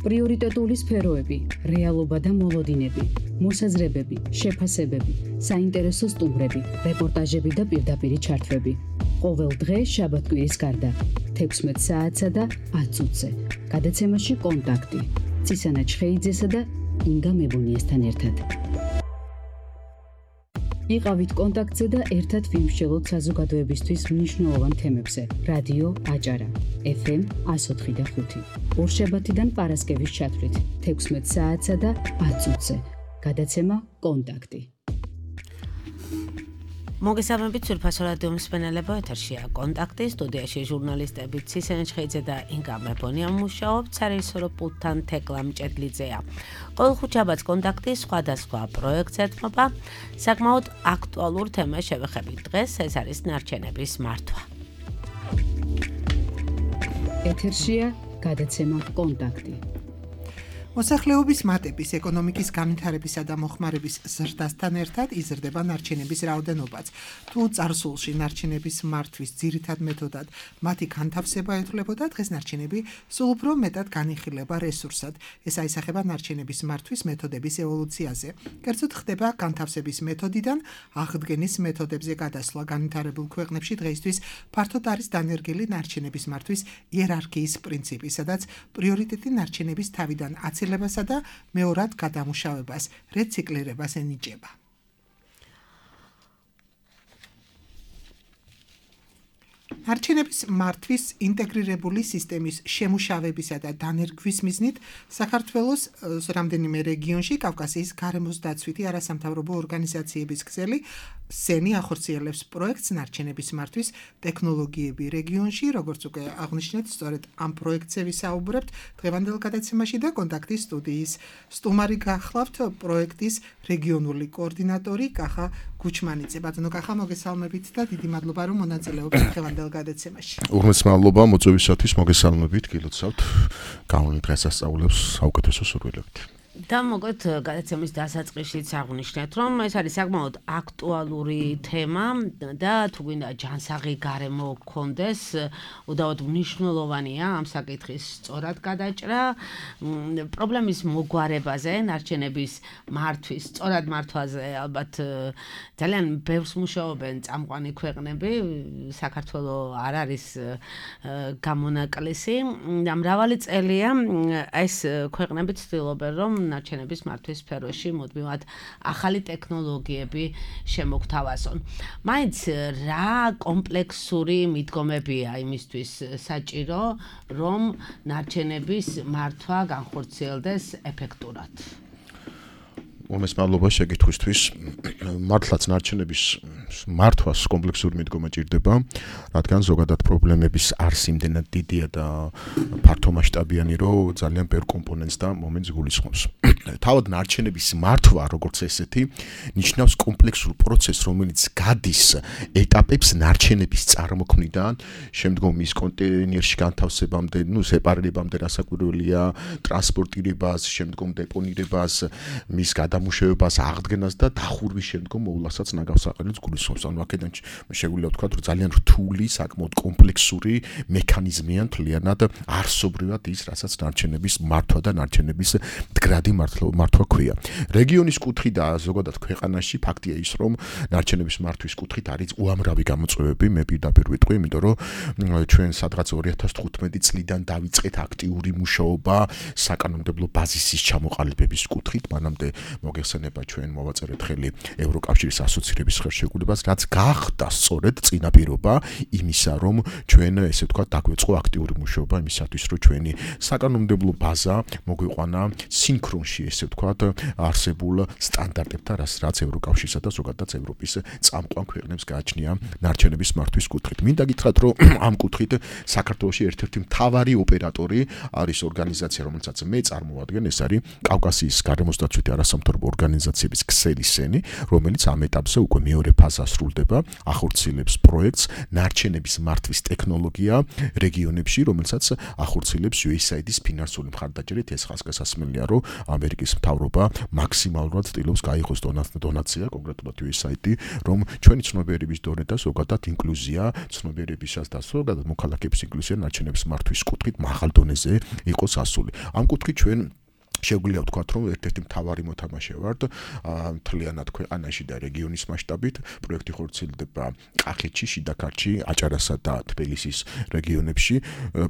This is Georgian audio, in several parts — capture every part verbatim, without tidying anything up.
პრიორიტეტული სფეროები, რეალობა და მოლოდინები, მოსაზრებები, შეფასებები, საინტერესო სტუმრები, რეპორტაჟები და პირდაპირი ჩართვები. ყოველ დღე შაბათ-კვირის გარდა, თექვსმეტ საათსა და ათ წუთზე. გადაცემაში კონტაქტი. ცისანა ჩხეიძესა და ინგა მებუნიესთან ერთად. იყავით კონტაქტზე და ერთად ვიმსჯელოთ საზოგადოებისთვის მნიშვნელოვან თემებზე. რადიო აჭარა, ეფ ემ εκατო ოთხი და ხუთი. ორშაბათიდან პარასკევის ჩათვლით, თექვსმეტ საათსა და ათ წუთზე. გადაცემა კონტაქტი. მოგესალმებით სურფასო რადიო მსმენელებო, ეთერშია კონტაქტი, სტუდიაში ჟურნალისტები ცისანა ჩხეიძე და ინგა მებონია მუშაობთ, სარეჟისორო პულტთან თეკლა მჭედლიძეა. ყოველ ხუთშაბათს კონტაქტი სხვადასხვა პროექტს ეთმობა, საკმაოდ აქტუალურ თემას შევეხებით. დღეს ეს არის ნარჩენების მართვა. ეთერშია გადაცემა კონტაქტი. მოსახლეობის მატების, ეკონომიკის განვითარებისა და მოხმარების ზრდასთან ერთად იზრდება ნარჩენების რაოდენობაც. თუ წარსულში ნარჩენების მართვის ძირითად მეთოდად მათი განთავსება ეთვლებოდა, დღეს ნარჩენები სულ უფრო მეტად განიხილება რესურსად. ეს აისახება ნარჩენების მართვის მეთოდების ევოლუციაზე. კერძოდ ხდება განთავსების მეთოდიდან აღდგენის მეთოდებზე გადასვლა. განვითარებულ ქვეყნებში დღეისთვის ფართოდ არის დანერგილი ნარჩენების მართვის იერარქიის პრინციპი, სადაც პრიორიტეტი ნარჩენების თავიდან აცილება და მეორად გადამუშავებას, რეციკლირებას ენიჭება. ნარჩენების მართვის ინტეგრირებული სისტემის შემუშავებისა და დანერგვის მიზნით საქართველოს რამდენიმე რეგიონში კავკასიის გარემოს დაცვითი არასამთავრობო ორგანიზაციების ქსელი სენი ახორციელებს პროექტს ნარჩენების მართვის ტექნოლოგიები რეგიონში, როგორც უკვე აღნიშნეთ, სწორედ ამ პროექტზე ვისაუბრებთ დღევანდელ გადაცემაში და კონტაქტის სტუდიის სტუმარი გახლავთ პროექტის რეგიონული კოორდინატორი კახა გუჩმანიძე. ბატონო კახა, მოგესალმებით და დიდი მადლობა რომ მონაწილეობთ დღევანდელ გადაცემაში. უღმეს მადლობა მოწვევისათვის, მოგესალმებით, გილოცავთ. გამონით დღესასწაულებს საუკეთესო სურვილებით. და მოკლედ გადაცემის დასაწყისშიც აღნიშნეთ, რომ ეს არის საკმაოდ აქტუალური თემა და თუ გვინდა ჯანსაღი გარემო გქონდეს, უდავოდ მნიშვნელოვანია ამ საკითხის სწორად გადაჭრა, პრობლემის მოგვარებაზე, ნარჩენების მართვის, სწორად მართვაზე ალბათ ძალიან ბევრს მუშაობენ წამყვანი ქვეყნები, საქართველოს არ არის გამონაკლისი და მრავალი წელია ეს ქვეყნები ცდილობენ, რომ ნარჩენების მართვის სფეროში მუდმივად ახალი ტექნოლოგიები შემოგთავაზონ. მაინც რა კომპლექსური მიდგომებია იმისთვის საჭირო, რომ ნარჩენების მართვა განხორციელდეს ეფექტურად? უმეს მადლობა შეკითხვისთვის. მართლაც ნარჩენების მართვას კომპლექსური მიდგომა ჭირდება, რადგან ზოგადად პრობლემების არს იმდენად დიდია და ფართომასშტაბიანი, რომ ძალიან ბევრ კომპონენტს და მომენტს გულისხმობს. თავად ნარჩენების მართვა, როგორც ესეთი, ნიშნავს კომპლექსურ პროცესს, რომელიც გადის ეტაპებს ნარჩენების წარმოქმნიდან, შემდგომ მის კონტეინერში განთავსებამდე, ნუ სეპარირებამდე, რასაკვირველია, ტრანსპორტირებას, შემდგომ დეპონირებას, მის დამუშავებას, აღდგენას და დახურვის შემდგომ მოვლასაც ნაგავსაყრელს გულისხმობს. ანუ აქედან შეგვიძლია ვთქვათ, რომ ძალიან რთული, საკმაოდ კომპლექსური მექანიზმია მთლიანად არსობრივად ის, რასაც ნარჩენების მართვა და ნარჩენების მდგრადი მართვა ქვია. რეგიონის კუთხით და ზოგადად ქვეყანაში ფაქტია ის, რომ ნარჩენების მართვის კუთხით არის უამრავი გამოწვევები, მე პირდაპირ ვიტყვი, იმიტომ რომ ჩვენ სადღაც ორი ათას თხუთმეტი წლიდან დავიწყეთ აქტიური მუშაობა საკანონმდებლო ბაზისის ჩამოყალიბების კუთხით, მანამდე მოგეხსენება ჩვენ მოვაწერეთ ხელი ევროკავშირის ასოცირების ხელშეკრულებას, რაც გახდა სწორედ წინაპირობა იმისა, რომ ჩვენ ესე ვთქვათ დაგვეწყო აქტიური მუშაობა იმისათვის, რომ ჩვენი საკანონმდებლო ბაზა მოგვიყვანა სინქრონში, ესე ვთქვათ, არსებულ სტანდარტებთან, რაც ევროკავშირსა და ზოგადად ევროპის წამყვან ქვეყნებს გააჩნია ნარჩენების მართვის კუთხით. მინდა გითხრათ, რომ ამ კუთხით საქართველოში ერთ-ერთი მთავარი ოპერატორი არის ორგანიზაცია, რომელსაც მე წარმოვადგენ, ეს არის კავკასიის გარემოს დაცვითი არასამთავრობო ორგანიზაციების ქსელი სენი, რომელიც ამ ეტაპზე უკვე მეორე ფაზა ასრულდება, ახორციელებს პროექტს ნარჩენების მართვის ტექნოლოგია რეგიონებში, რომელსაც ახორციელებს U S A I D-ის ფინანსური მხარდაჭერით. ეს ხაზგასასმელია, რომ ამერიკის მთავრობა მაქსიმალურად ცდილობს გაიღოს დონაცია კონკრეტულად U S A I D, რომ ჩვენი ცნობიერების დონე და ზოგადად ინკლუზია, ცნობიერებისას და ზოგადად მოქალაქეების ინკლუზია ნარჩენების მართვის კუთხით მაღალ დონეზე იყოს ასული. ამ კუთხით ჩვენ შეგვიძლია ვთქვათ, რომ ერთ-ერთი მთავარი მოთამაშე ვართ მთლიანად ქვეყანაში და რეგიონის მასშტაბით. პროექტი ხორციელდება კახეთში, შიდაქართში, აჭარასა და თბილისის რეგიონებში.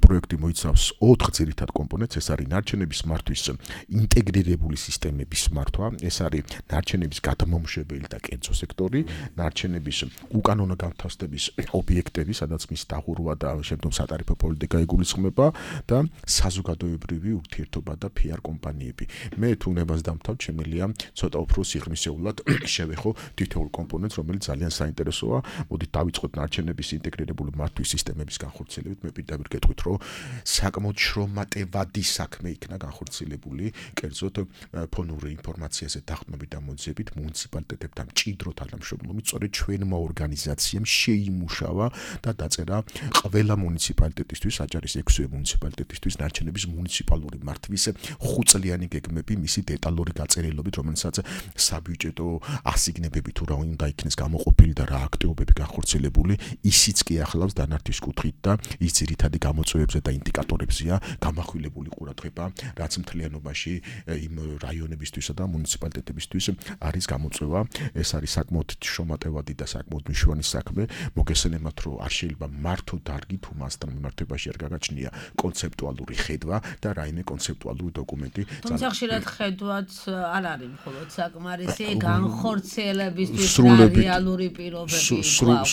პროექტი მოიცავს ოთხ ძირითად კომპონენტს. ეს არის ნარჩენების მართვის ინტეგრირებული სისტემების მართვა, ეს არის ნარჩენების გადამამუშავებელი და კერძო სექტორი, ნარჩენების უკანონო განთავსების ობიექტები, სადაც მის დაღურვა და შემდგომ სატარიფო პოლიტიკა იგულისხმება და საზოგადოებრივი ურთიერთობა და P R კომპანია. მე თუ ნებას დამთავრ, შემიძლია ცოტა უფრო სიღრმისეულად შევეხო თითოეულ კომპონენტს, რომელიც ძალიან საინტერესოა. მოდით დავიწყოთ ნარჩენების ინტეგრირებული მართვის სისტემების განხორციელებით. მე პირდაპირ გეტყვით, რომ საკმაოდ შრომატევადი საქმე იქნა განხორციელებული, კერძოდ ფონური ინფორმაციაზე დაყრდნობით და მოძიებით მუნიციპალიტეტებთან მჭიდრო თანამშრომლობით, სწორედ ჩვენმა ორგანიზაციამ შეიმუშავა და დაწერა ყველა მუნიციპალიტეტისთვის, აჭარის ექვსივე მუნიციპალიტეტისთვის ნარჩენების მუნიციპალური მართვის ხუთწლიანი გეგმები, მისი დეტალური გაწერილობით, რომელსაც საბიუჯეტო ასიგნებები თუ რა უნდა იქნეს გამოყოფილი და რა აქტივობები განხორციელებული, ისიც კი ახლავს დანართვის კუთხით და ის ძირითადი გამოწვევებზე და ინდიკატორებზეა გამახვილებული ყურადღება, რაც მთლიანობაში იმ რაიონებისთვისა და მუნიციპალიტეტებისთვის არის გამოწვევა. ეს არის საკმაოდ შრომატევადი და საკმაოდ მნიშვნელოვანი საქმე. მოგესალმებით, რომ არ შეიძლება მართო დარგი თუ მასთან მიმართებაში არ გაგაჩნია კონცეპტუალური ხედვა და რაიმე კონცეპტუალური დოკუმენტი. თუმცა ხშირად ხედვაც არ არის მხოლოდ საკმარისი განხორციელებისთვის და რეალური პირობები.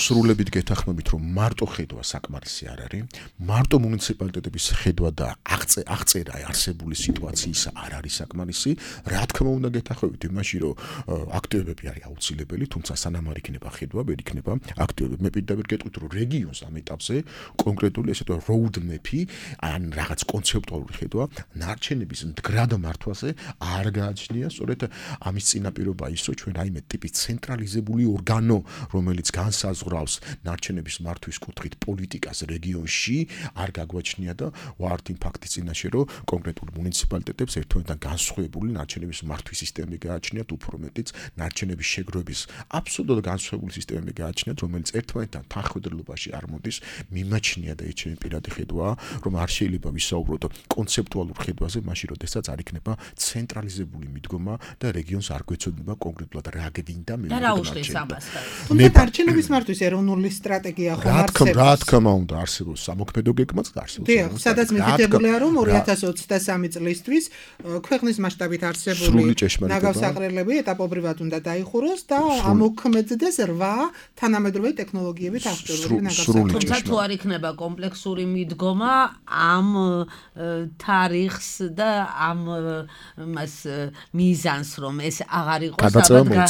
სრულებით გეთანხმებით, რომ მარტო ხედვა საკმარისი არ არის. მარტო მუნიციპალიტეტების ხედვა და აღწერა არსებული სიტუაციისა არ არის საკმარისი. რა თქმა უნდა გეთანხმებით იმაში, რომ აქტივობები არის აუცილებელი, თუმცა სანამ არ იქნება ხედვა, ვერ იქნება აქტივობები. მე პირდაპირ გეტყვით, რომ რეგიონს ამ ეტაპზე კონკრეტული ესე თუ road map-ი, ან რაღაც კონცეპტუალური ხედვა ნარჩენების მდგრად მართვაზე არ გააჩნია. სწორედ ამის წინაპირობა ის, რომ ჩვენ რაიმე ტიპის ცენტრალიზებული ორგანო, რომელიც განსაზღვრავს ნარჩენების მართვის კუთხით პოლიტიკას რეგიონში, არ გაგვაჩნია და ვართ იმ ფაქტის წინაშე, რომ კონკრეტულ მუნიციპალიტეტებს ერთმანეთთან განსხვავებული ნარჩენების მართვის სისტემები გააჩნიათ, უფრო მეტიც ნარჩენების შეგროვების აბსოლუტურად განსხვავებული სისტემები გააჩნიათ, რომელიც ერთმანეთთან თანხმდებლობაში არ მოდის. მიმაჩნია და ეს ჩემი პირადი ხედვაა, რომ არ შეიძლება ვისაუბროთ კონცეპტუალურ ხედვაზე, მაშინ როდესაც არ იქნება ცენტრალიზებული მიდგომა და რეგიონს არ გვეცოდება კონკრეტულად რა გვინდა მე. და რა უშლის ამას? თუმცა ნარჩენების მართვის ეროვნული სტრატეგია ხომ არსებობს? რა თქმა უნდა არსებობს, სამოქმედო გეგმაც არსებობს. დიახ, სადაც მითითებულია, რომ ორი ათას ოცდასამი წლისთვის ქვეყნის მასშტაბით არსებული ნაგავსაყრელები ეტაპობრივად უნდა დაიხუროს და ამოქმედდეს რვა თანამედროვე ტექნოლოგიებით აღჭურვილი ნაგავსაყრელები. თუმცა თუ არ იქნება კომპლექსური მიდგომა ამ თარიღს და ამ მას მიზანს, რომ ეს აღარ იყოს გადაწყვეტილება.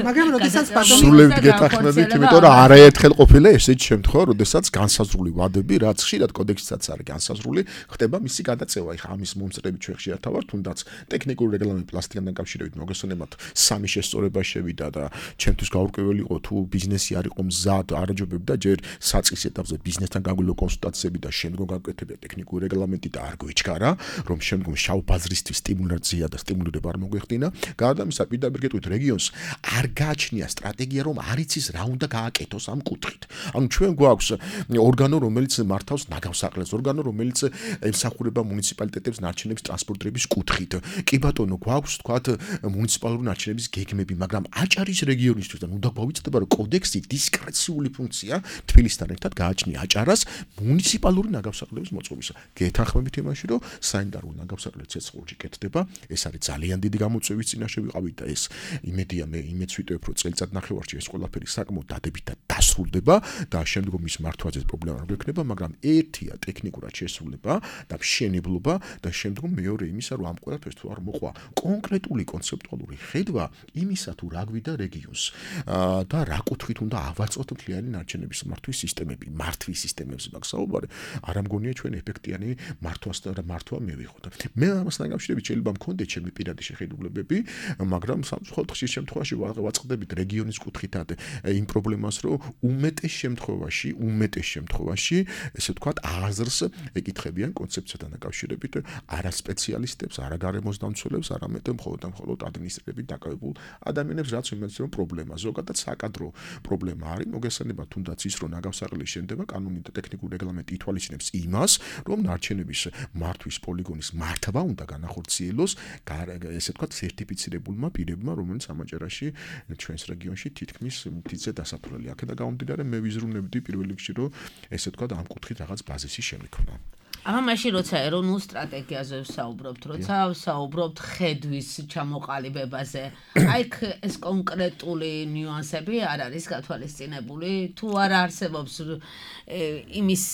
მაგრამ როდესაც ბატონი სრულებით გეთანხმებით, იმიტომ რომ არაერთხელ ყოფილა ესეთი შემთხვევა, როდესაც განსაზღვრული ვადები, რაც ხშირად კოდექსსაც არის განსაზღვრული, ხდება მისი გადაწევა. ეხლა ამის მომწრებით ჩვენ ხშირად ვართ, თუნდაც ტექნიკური რეგლამენტი პლასტიკთან დაკავშირებით მოგესალმებით, სამი შესწორება შევიდა და ჩემთვის გაურკვეველი იყო თუ ბიზნესი არ იყო მზად, არაჯობებდა ჯერ საწყის ეტაპზე ბიზნესთან გაგვიძლია კონსულტაციები და შემდგომ გაკეთებია ტექნიკური რეგლამენტი და არ გვიჩქარა, რომ შემდგომ შავ ბაზრისთვის სტიმულაცია და სტიმულირება არ მოგვეხდინა. გარდა ამისა, პირდაპირ გეტყვით, რეგიონს არ გააჩნია სტრატეგია, რომ არ იცის რა უნდა გააკეთოს ამ კუთხით. ანუ ჩვენ გვაქვს ორგანო, რომელიც მართავს ნაგავსაყრელს, ორგანო, რომელიც ემსახურება მუნიციპალიტეტებს ნარჩენების ტრანსპორტირების კუთხით. კი ბატონო, გვაქვს თქვათ მუნიციპალური ნარჩენების გეგმები, მაგრამ აჭარის რეგიონისთვის და უნდა გვავიწყდება, რომ კოდექსი დისკრეციული ფუნქცია თბილისთან ერთად გააჩნია აჭარას მუნიციპალური ნაგავსაყრელების მოწყობისა. გეთანხმებით იმაში, რომ საინდარო ნაგავსაყრელი ცეცხლში კეთდება, ეს არის ძალიან დიდი გამოწვევის წინაშე ვიყავით და ეს იმედია მე იმედს ვიტყვი, რომ წელიწად ნახევარში ეს ყველაფერი საკმაოდ დადებით და დასრულდება და შემდგომ ის მართვაზე პრობლემა არ გვექნება, მაგრამ ერთია ტექნიკურად შესრულება და მშენებლობა და შემდგომ მეორე იმისა, რომ ამ ყველაფერს თუ არ მოყვა კონკრეტული კონცეპტუალური ხედვა იმისა, თუ რა გვიდა რეგიონს და რა კუთხით უნდა ავაწყოთ მთლიანი ნარჩენების მართვის სისტემები, მართვის სისტემებზე მაგ საუბარი, არ ამგონია ჩვენ ეფექტიანი მართვას და მართვა მივიღოთ. მე ამასთან დაკავშირებით შეიძლება მქონდეს ჩემი პირადი შეხედულებები, მაგრამ სამწუხაროდ ხშირ შემთხვევაში ვაწყდებით რეგიონის კუთხითად იმ პრობლემას, რომ უმეტეს შემთხვევაში, უმეტეს შემთხვევაში, ესე ვთქვათ, აზრს ეკითხებიან კონცეფციასთან დაკავშირებით არა სპეციალისტებს, არა გარემოს დამცველებს, არამედ მხოლოდ და მხოლოდ ადმინისტრირებით დაკავებულ ადამიანებს, რაც იმედს რომ პრობლემა ზოგადად საკადრო პრობლემა არის, მოგესალმება თუნდაც ის რომ ნაგავსაღლელი შენდება კანონი და ტექნიკური რეგლამენტი ითვალისწინებს იმას, რომ ნარჩენების მართვის პოლიგონის მართვა უნდა განახორციელოს ესე ვთქვათ სერტიფიცირებულმა პირებმა, რომელიც ამაჯერაში ჩვენს რეგიონში თითქმის მთიце დასაფლელი. აქედან გამომდინარე მე ვიზრუნებდი პირველ რიგში რომ ესე ვთქვათ ამ კუთხით რაღაც ბაზისი შემიქმნა. აბა მაშინ როცა ეროვნულ სტრატეგიაზე ვსაუბრობთ, როცა ვსაუბრობთ ხედვის ჩამოყალიბებაზე, აი ეს კონკრეტული ნიუანსები არ არის გათვალისწინებული, თუ არ არსებობს იმის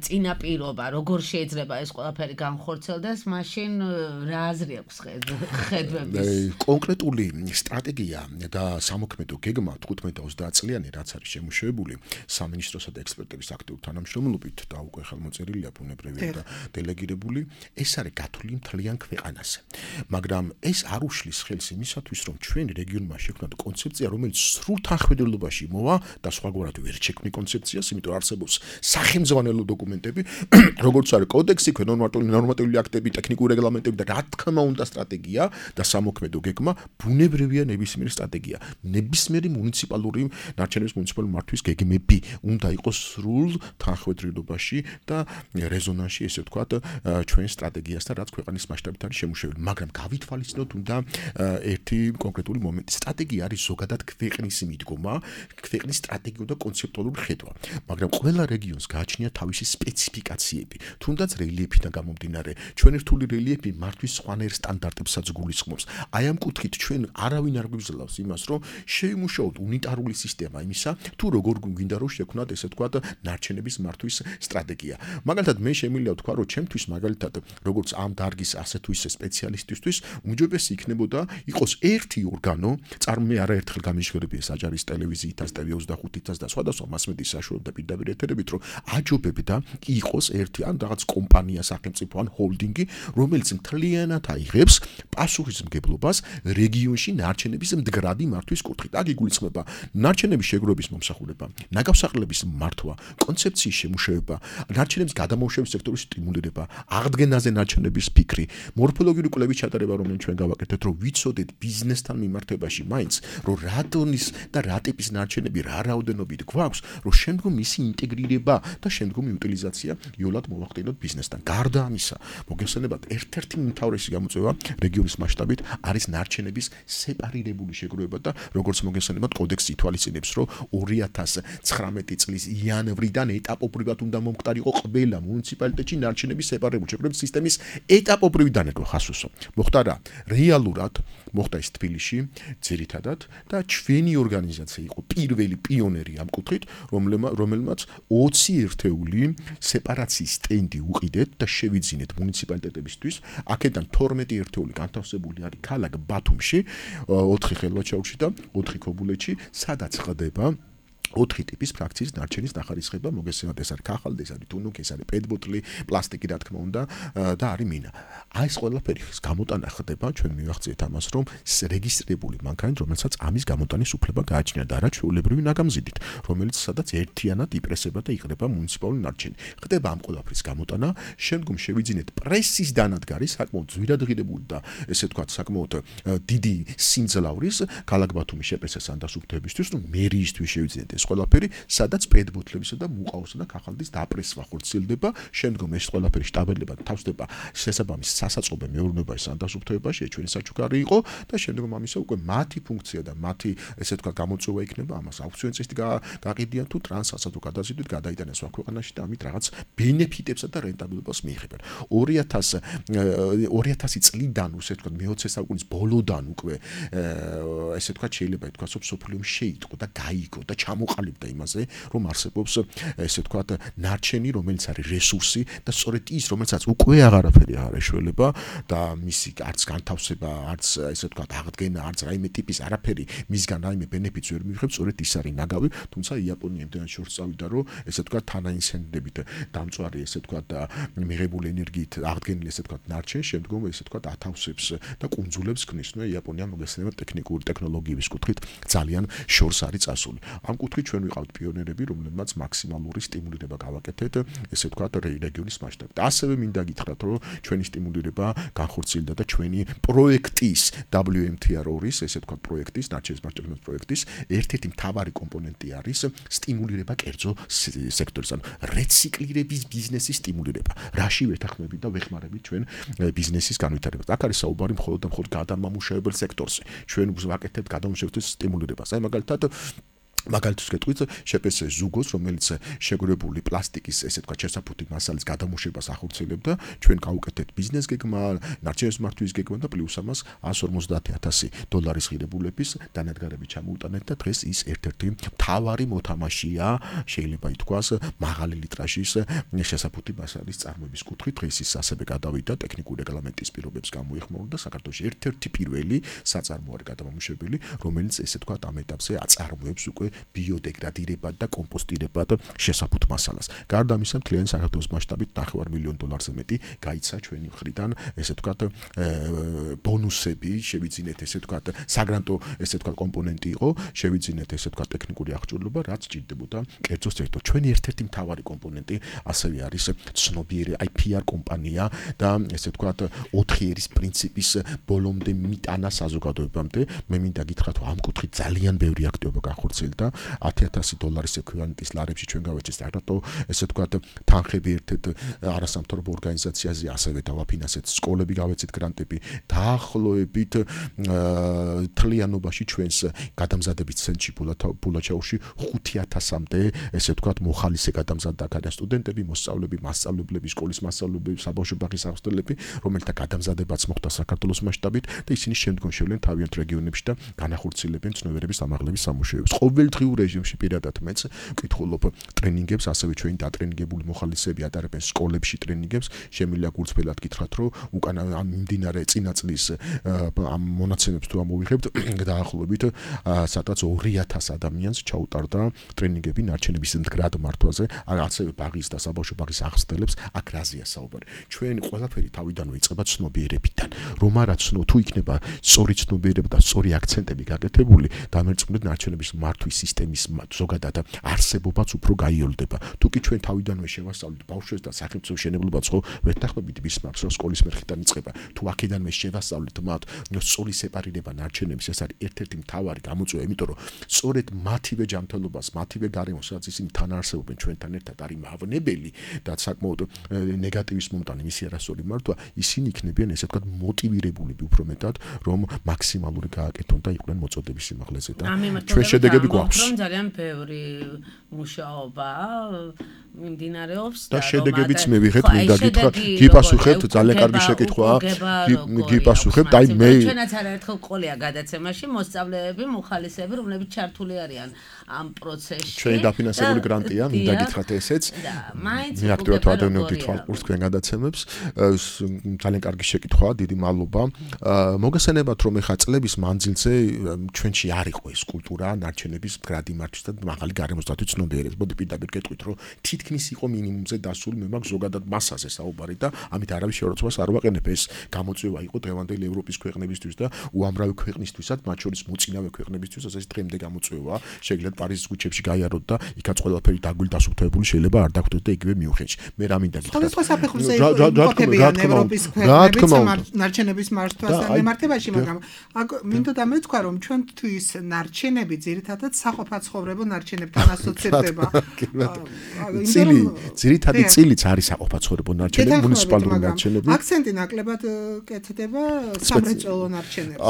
წინაპირობა, როგორ შეიძლება ეს ყველაფერი განხორციელდეს, მაშინ რა აზრი აქვს ხედვების? კონკრეტული სტრატეგია და სამოქმედო გეგმა თხუთმეტ ოცდაათ წლიანი რაც არის შემუშავებული სამინისტროსა და ექსპერტების აქტიური თანამშრომლობით და უკვე ხელმოწერილია და დელეგირებული, ეს არის გათვლილი მთლიან ქვეყანაზე. მაგრამ ეს არ უშლის ხელს იმისათვის, რომ ჩვენ რეგიონმა შექმნათ კონცეფცია, რომელიც სრულ თანხმდელობაში მოვა და სხვაგვარად ვერ შექმნი კონცეფციას, იმიტომ რომ არსებობს სახელმძღვანელო დოკუმენტები, როგორც არის კოდექსი, ნორმატიული აქტები, ტექნიკური რეგლამენტები და რა თქმა უნდა სტრატეგია და სამოქმედო გეგმა, ბუნებრივია ნებისმიერი სტრატეგია. ნებისმიერი მუნიციპალური ნარჩენების მუნიციპალური მართვის გეგმები უნდა იყოს სრულ თანხმდელობაში და ზონაში ესე ვთქვათ ჩვენ სტრატეგიასთან რაც ქვეყანის მასშტაბით არის შემუშავებული, მაგრამ გავითვალისწინოთ უნდა ერთი კონკრეტული მომენტი. სტრატეგია არის ზოგადად ქვეყნის მიდგომა, ქვეყნის სტრატეგიული და კონცეპტუალური ხედვა, მაგრამ ყველა რეგიონს გააჩნია თავისი სპეციფიკაციები. თუნდაც რელიეფიდან გამომდინარე, ჩვენი რთული რელიეფი მართვის სხვანაირ სტანდარტებსაც გულისხმობს. აი ამ კუთხით ჩვენ არავინ არ გვიგზელავს იმას, რომ შევიმუშაოთ უნიტარული სისტემა იმისა, თუ როგორ გვინდა რომ შექმნათ ესე ვთქვათ ნარჩენების მართვის სტრატეგია. მაგალითად მე შემიძლია ვთქვა, რომ ჩემთვის მაგალითად როგორც ამ დარგის ასე თუ ისე სპეციალისტისთვის უმჯობესი იქნებოდა იყოს ერთი ორგანო, წარმე არაერთხელ გამიჟღერებია საჯარის ტელევიზიითაც, ტევ ოცდახუთითაც და სხვადასხვა მასმედიის საშუალებებით და პირდაპირ ეთერებით, რომ აჯობებდა იყოს ერთი ან რაღაც კომპანია, სახელმწიფო ან ჰოლდინგი, რომელიც მთლიანად აიღებს პასუხისმგებლობას რეგიონში ნარჩენების მდგრადი მართვის კუთხით. აქ იგულისხმება ნარჩენების შეგროვების მომსახურება, ნაგავსაღლელების მართვა, კონცეფციის შემუშავება, ნარჩენების გადამოუშავების სექტორის სტიმულირება, აღდგენაზე ნარჩენების ფიქრი, მორფოლოგიური კვლევის ჩატარება, რომელიც ჩვენ გავაკეთეთ, რომ ვიცოდეთ ბიზნესთან მიმართებაში მაინც, რომ რა დონის და რა ტიპის ნარჩენები, რა რაოდენობით გვაქვს, რომ შემდგომ მისი ინტეგრირება და შემდგომი იუტილიზაცია იოლად მოვახდინოთ ბიზნესთან. გარდა ამისა, მოგესალმებათ, ერთ-ერთი უმთავრესი გამოწვევა რეგიონის მასშტაბით არის ნარჩენების სეპარირებული შეგროვება და როგორც მოგესალმებათ, კოდექსი ითვალისწინებს, რომ ორი ათას ცხრამეტი წლის იანვრიდან ეტაპობრივად უნდა მომხდარიყო ყველა მუნიციპალიტეტში ნარჩენების სეპარირებული შეგროვების სისტემის ეტაპობრივი დანერგვა ხასუსო. მოხდა რა? რეალურად მოხდა ის თბილისში ძირითადად და ჩვენი ორგანიზაცია იყო პირველი პიონერი ამ კუთხით, რომელმაც ოცი ერთეული სეპარაციის სტენდი უყიდეთ და შევიძინეთ მუნიციპალიტეტებისთვის. აქედან თორმეტი ერთეული განთავსებული არის ქალაქ ბათუმში, ოთხი ხელვაჩაურში და ოთხი ქობულეთში, სადაც ხდება ოთხი ტიპის ფრაქციის ნარჩენის ნახარისხება, მოგესალმებით, ეს არის ქაღალდი, ეს არის თუნუქი, ეს არის პეტბოტლი, პლასტიკი, რა თქმა უნდა, და არის მინა. აი ეს ყველაფერი გამოტანა ხდება, ჩვენ მივახციეთ ამას, რომ რეგისტრირებული მანქანით, რომელსაც ამის გამოტანის უფლება გააჩნია და არა ჩვეულებრივი ნაგამზიდით, რომელიც სადაც ერთიანად იპრესება და იყრება მუნიციპალური ნარჩენი. ხდება ამ ყველაფრის გამოტანა, შემდგომ შევიძინეთ პრესის დანადგარი, საკმაოდ ძვირადღირებული და ესე ვთქვათ, საკმაოდ დიდი სიმძლავრის ქალაქ ბათუმის შეპრესას ანდასუფლთებისთვის, რომ მერიისთვის შევიძინეთ ეს ყველაფერი, სადაც პეტბოტლებისა და მუყაოსა და ქაღალდის დაპრესვა ხორციელდება, შემდგომ ეს ყველაფერი შტაბელებად თავსდება შესაბამის სასაწყობე მეურნეობაში, სანდასუფლთებაში, ჩვენი საჩუქარი იყო და შემდგომ ამისა უკვე მათი ფუნქცია და მათი ესე ვთქვათ გამოწვევა იქნება ამას აუქციონის წესით გაყიდიან თუ ტრანსფერსა თუ გადაზიდვით გადაიტანენ სხვა ქვეყანაში და ამით რაღაც ბენეფიტებსა და რენტაბილობას მიიღებენ. ორი ათასი წლიდან ესე ვთქვათ მეოცე საუკუნის ბოლოდან უკვე ესე ვთქვათ შეიძლება ითქვას, რომ სოფლიომ შეიტყო და გაიგო და ჩამო ჩამოყალიბდა იმაზე, რომ არსებობს ესე ვთქვათ ნარჩენი, რომელიც არის რესურსი და სწორედ ის, რომელსაც უკვე აღარაფერი არ ეშველება და მისი არც განთავსება, არც ესე ვთქვათ აღდგენა, არც რაიმე ტიპის არაფერი მისგან რაიმე ბენეფიტს ვერ მიიღებს, სწორედ ის არის ნაგავი, თუმცა იაპონია იმდენად შორს წავიდა, რომ ესე ვთქვათ თანაინციდენტებით დამწვარი ესე ვთქვათ მიღებული ენერგიით აღდგენილი ესე ვთქვათ ნარჩენს შემდგომ ესე ვთქვათ ათავსებს და კუნძულებს ქმნის. ნუ იაპონია მოგესწრება ტექნიკური ტექნოლოგიების კუთხით ძალიან შორს არის წასული. ამ კუთხით ჩვენ ვიყავთ პიონერები, რომლებმაც მაქსიმალური სტიმულირება გავაკეთეთ ესე ვთქვათ რეგიონის მასშტაბით. ასევე მინდა გითხრათ, რომ ჩვენი სტიმულირება განხორციელდა და ჩვენი პროექტის დაბლიუ ემ თი არ ორი ესე ვთქვათ პროექტის ნარჩენის მასშტაბის პროექტის ერთ-ერთი მთავარი კომპონენტი არის სტიმულირება კერძო სექტორის, ანუ რეციკლირების ბიზნესის სტიმულირება. რაში ვეთანხმებით და ვეხმარებით ჩვენ ბიზნესის განვითარებას. აქ არის საუბარი მხოლოდ და მხოლოდ გადამამუშავებელ სექტორზე. ჩვენ ვაკეთებთ გადამამუშავებლის სტიმულირებას. აი მაგალითად მაგალითად გეტყვით შეპეს ზუგოს, რომელიც შეგრებული პლასტიკის ესე ვთქვათ შესაფუთი მასალის გადამუშავებას ახორციელებდა, ჩვენ გავუკეთეთ ბიზნეს გეგმა, ნარჩენის მართვის გეგმა და პლუს ამას εκατს ორმოცდაათი ათასი დოლარის ღირებულების დანადგარები ჩამოუტანეთ და დღეს ის ერთ-ერთი მთავარი მოთამაშეა, შეიძლება ითქვას, მაღალი ლიტრაჟის შესაფუთი მასალის წარმოების კუთხით. დღეს ის ასევე გადავიდა ტექნიკური რეგლამენტის პირობებს გამოიხმაურა და საქართველოში ერთ-ერთი პირველი საწარმო არის გადამამუშავებელი, რომელიც ესე ვთქვათ ამ ეტაპზე აწარმოებს უკვე ბიოდეგრადირებად და კომპოსტირებად შესაფუთ მასალას. გარდა ამისა, მთლიანი საქართველოს მასშტაბით ნახევარ მილიონ დოლარზე მეტი გაიცა ჩვენი მხრიდან, ესე ვთქვათ, ბონუსები, შევიძინეთ ესე ვთქვათ, საგრანტო ესე ვთქვათ კომპონენტი იყო, შევიძინეთ ესე ვთქვათ ტექნიკური აღჭურვილობა, რაც ჭირდებოდა კერძო სექტორს. ჩვენი ერთ-ერთი მთავარი კომპონენტი ასევე არის ცნობილი აი პი არ კომპანია და ესე ვთქვათ, ოთხი ერის პრინციპის ბოლომდე მიტანა საზოგადოებამდე. მე მინდა გითხრათ, რომ ამ კუთხით ძალიან ბევრი აქტივობა განხორციელდა. ათი ათასი დოლარის ეკვივალენტის ლარებში ჩვენ გავეცეთ საგრანტო ესე ვთქვათ თანხები ერთ-ერთ არასამთავრობო ორგანიზაციაზე, ასევე დავაფინანსეთ სკოლები, გავეცეთ გრანტები. დაახლოებით თლიანობაში ჩვენს გადამზადების ცენტრში ბულაჩაურში ხუთი ათასამდე ესე ვთქვათ მოხალისე გადამზადდა აქ სტუდენტები, მოსწავლეები, მასწავლებლები, სკოლის მასწავლებლები, საბავშვო ბაღის აღზრდელები, რომელთა გადამზადებაც მოხდა საქართველოს მასშტაბით და ისინი შემდგომ შევლენ თავიანთ რეგიონებში და განახორციელებენ ცნობიერების ამაღლების სამუშაოებს. ყოველდღიურ რეჟიმში პირადად მეც ვკითხულობ ტრენინგებს, ასევე ჩვენი დატრენინგებული მოხალისეები ატარებენ სკოლებში ტრენინგებს. შემიძლია გულწრფელად გითხრათ, რომ უკან ამ მიმდინარე წინა წლის ამ მონაცემებს თუ ამოვიღებთ, დაახლოებით სადღაც ორი ათასი ადამიანს ჩაუტარდა ტრენინგები ნარჩენების მდგრად მართვაზე, ასევე ბაღის და საბავშვო ბაღის აღზრდელებს. აქ რაზეა საუბარი? ჩვენ ყველაფერი თავიდანვე იწყება ცნობიერებიდან. რომ არა ცნო თუ იქნება სწორი ცნობიერება და სწორი აქცენტები გაკეთებული, დამერწმუნდით ნარჩენების მართვის სისტემის ზოგადად არსებობაც უფრო გაიოლდება. თუ კი ჩვენ თავიდანვე შევასწავლით ბავშვებს და სახელმწიფო მშენებლობაც ხო ვეთანხმებით ბისმარკს, რომ სკოლის მერხიდან იწყება. თუ აქედანვე შევასწავლით მათ სწორი სეპარირება ნარჩენების, ეს არის ერთ-ერთი მთავარი გამოწვევა, იმიტომ რომ სწორედ მათივე ჯანმრთელობას, მათივე გარემოს, სადაც ისინი თან არსებობენ ჩვენთან ერთად არის მავნებელი და საკმაოდ ნეგატივის მომტანი მისი არასწორი მართვა, ისინი იქნებიან ესე ვთქვათ მოტივირებულები უფრო მეტად, რომ მაქსიმალური გააკეთონ და იყვნენ მოწოდების სიმაღლეზე და ჩვენ შედეგები გვაქვს. რომ ძალიან ბევრი მუშაობა მიმდინარეობს და შედეგებიც მივიღეთ, მინდა გითხრათ, გიპასუხებთ, ძალიან კარგი შეკითხვაა. გიპასუხებთ, აი მე ჩვენაც არაერთხელ ყოლია გადაცემაში მოსწავლეები, მოხალისეები, რომლებიც ჩართული არიან ამ პროცესში. ჩვენი დაფინანსებული გრანტია, მინდა გითხრათ ესეც. მე აქტიურად ვადევნებდი თვალყურს თქვენ გადაცემებს. ძალიან კარგი შეკითხვაა, დიდი მადლობა. მოგესალმებათ, რომ ეხა წლების მანძილზე ჩვენში არ იყო ეს კულტურა ნარჩენების მდგრადი მართვის და მაღალი გარემოსდაცვის ცნობიერების. მოდი პირდაპირ გეტყვით, რომ თითქმის იყო მინიმუმზე დასული, მე მაქვს ზოგადად მასაზე საუბარი და ამით არავის შეურაცხყოფას არ ვაყენებ. ეს გამოწვევა იყო დღევანდელი ევროპის ქვეყნებისთვის და უამრავი ქვეყნისთვისაც, მათ შორის მოწინავე ქვეყნებისთვის, ეს დღემდე გამოწვევაა. შეგიძლიათ პარიზის ქუჩებში გაიაროთ და იქაც ყველაფერი დაგვილდასუფთებული შეიძლება არ დაგხვდეთ და იგივე მიუხედავთ. მე რა მინდა გითხრათ? სხვადასხვა საფეხურზე იმყოფებიან ევროპის ქვეყნებიც ნარჩენების მართვასთან მიმართებაში, მაგრამ მინდა დამეთქვა, რომ ჩვენთვის ნარჩენები ძირითადად საყოფაცხოვრებო ნარჩენებთან ასოცირდება. წილი, ძირითადი წილიც არის საყოფაცხოვრებო ნარჩენები, მუნიციპალური ნარჩენები. აქცენტი ნაკლებად კეთდება სამრეწველო ნარჩენებზე.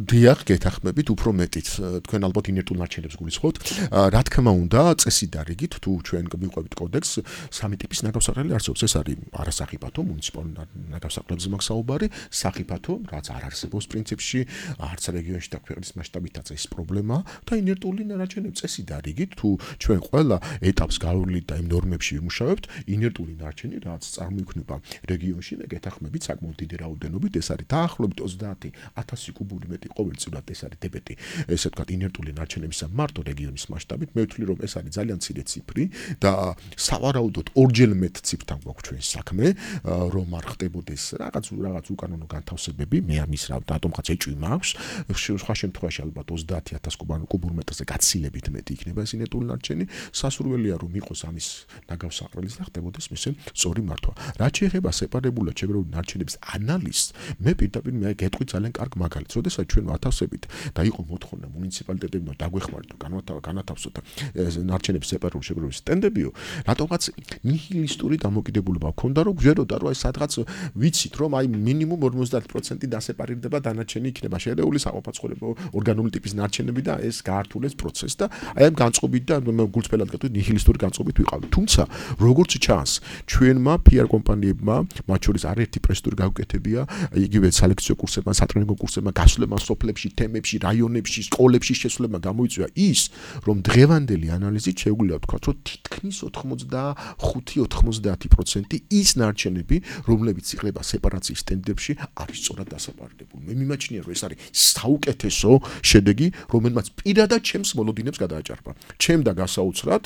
დიახ, გეთახმებით, უფრო მეტიც თქვენ ალბათ ინერტულ ნარჩენებს გულისხმობთ. რა თქმა უნდა, წესი და რიგით თუ ჩვენ მივყვებით კოდექსს, სამი ტიპის ნაგავსაყრელი არსებობს. ეს არის არასახიფათო მუნიციპალური ნაგავსაყრელებზე მაქვს საუბარი, სახიფათო, რაც არ არსებობს პრინციპში, არც რეგიონში და ქვეყნის მასშტაბითაც ეს პრობლემა და ინერტული ნარჩენები წესი და რიგით თუ ჩვენ ყველა ეტაპს გავავლით და იმ ნორმებში ვიმუშავებთ, ინერტული ნარჩენი რაც წარმოიქმნება რეგიონში, მე გეთახმებით საკმაოდ დიდი რაოდენობით, ეს არის დაახლოებით ოცდაათი ათასი კუბური მეტრი ყოველწლიურად, ეს არის დებეტი, ესე ვთქვათ, ინერტული ნარჩენებისა მარტო რეგიონის მასშტაბით. მე ვთვლი რომ ეს არის ძალიან მცირე ციფრი და სავარაუდოდ ორჯერ მეტ ციფრთან გვაქვს ჩვენ საქმე, რომ არ ხდებოდეს რაღაც რაღაც უკანონო განთავსებები, მე ამის რა დატომღაც ეჭვი მაქვს, სხვა შემთხვევაში ალბათ ოცდაათი ათასი კუბურ მეტრზე გაცილებით მეტი იქნება ეს ინერტული ნარჩენი, სასურველია რომ იყოს ამის ნაგავსაყრელის და ხდებოდეს მისი სწორი მართვა. რაც შეეხება სეპარებულად შეგროვებული ნარჩენების ანალიზს, მე პირდაპირ მე გეტყვი ძალიან კარგ მაგალითს, როდესაც ჩვენ ვათავსებით და იყო მოთხოვნა მუნიციპალიტეტებმა დაგვეხმაროთ განათავსოთ ნარჩენების სეპარული შეგროვების სტენდებიო, რატომღაც ნიჰილისტური დამოკიდებულება ჰქონდა, რომ გვეროდა რომ აი სადღაც ვიცით რომ აი მინიმუმ ორმოცდაათი პროცენტი დასეპარირდება დანარჩენი იქნება შერეული საყოფაცხოვრებო ორგანული ტიპის ნარჩენები და ეს გაართულებს პროცესს და აი ამ განწყობით და გულწრფელად გეტყვით ნიჰილისტური განწყობით ვიყავით. თუმცა როგორც ჩანს, ჩვენმა პი არ კომპანიებმა, მათ შორის არაერთი პრესტური გაუკეთებია, იგივე სალექციო კურსებმა, სატრენინგო კურსებმა, გასვლებმა სოფლებში, თემებში, რაიონებში, სკოლებში შესვლებმა გამოიწვია ის, რომ დღევანდელი ანალიზით შეგვიძლია ვთქვათ, რომ თითქმის ოცდახუთი ოცდაათი პროცენტი ის ნარჩენები, რომლებიც იღება სეპარაციის სტენდებში, არის სწორად დასეპარირებული. მე მიმაჩნია, რომ ეს არის საუკეთესო შედეგი, რომელმაც პირადად ჩემს მოლოდინებს გადააჭარბა. ჩემ და გასაოცრად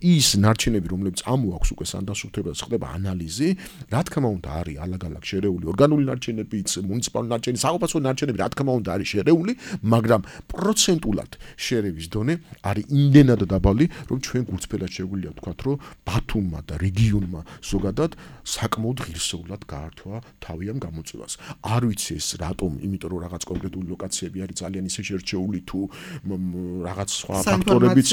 ის ნარჩენები, რომლებიც ამოაქვს უკვე სანდასრულებად ხდება ანალიზი, რა თქმა უნდა არის ალაგ-ალაგ შერეული ორგანული ნარჩენებიც, მუნიციპალური ნარჩენები, საყოფაცხოვრებო ნარჩენები, რა თქმა უნდა არის შერეული, მაგრამ პროცენტულად შერევის დონე არის იმდენად დაბალი, რომ ჩვენ გულწრფელად შეგვიძლია ვთქვათ, რომ ბათუმმა და რეგიონმა ზოგადად საკმაოდ ღირსეულად გაართვა თავი ამ გამოწვევას. არ ვიცი ეს რატომ, იმიტომ რომ რაღაც კონკრეტული ლოკაციები არის ძალიან ისე შერჩეული თუ რაღაც სხვა ფაქტორებიც.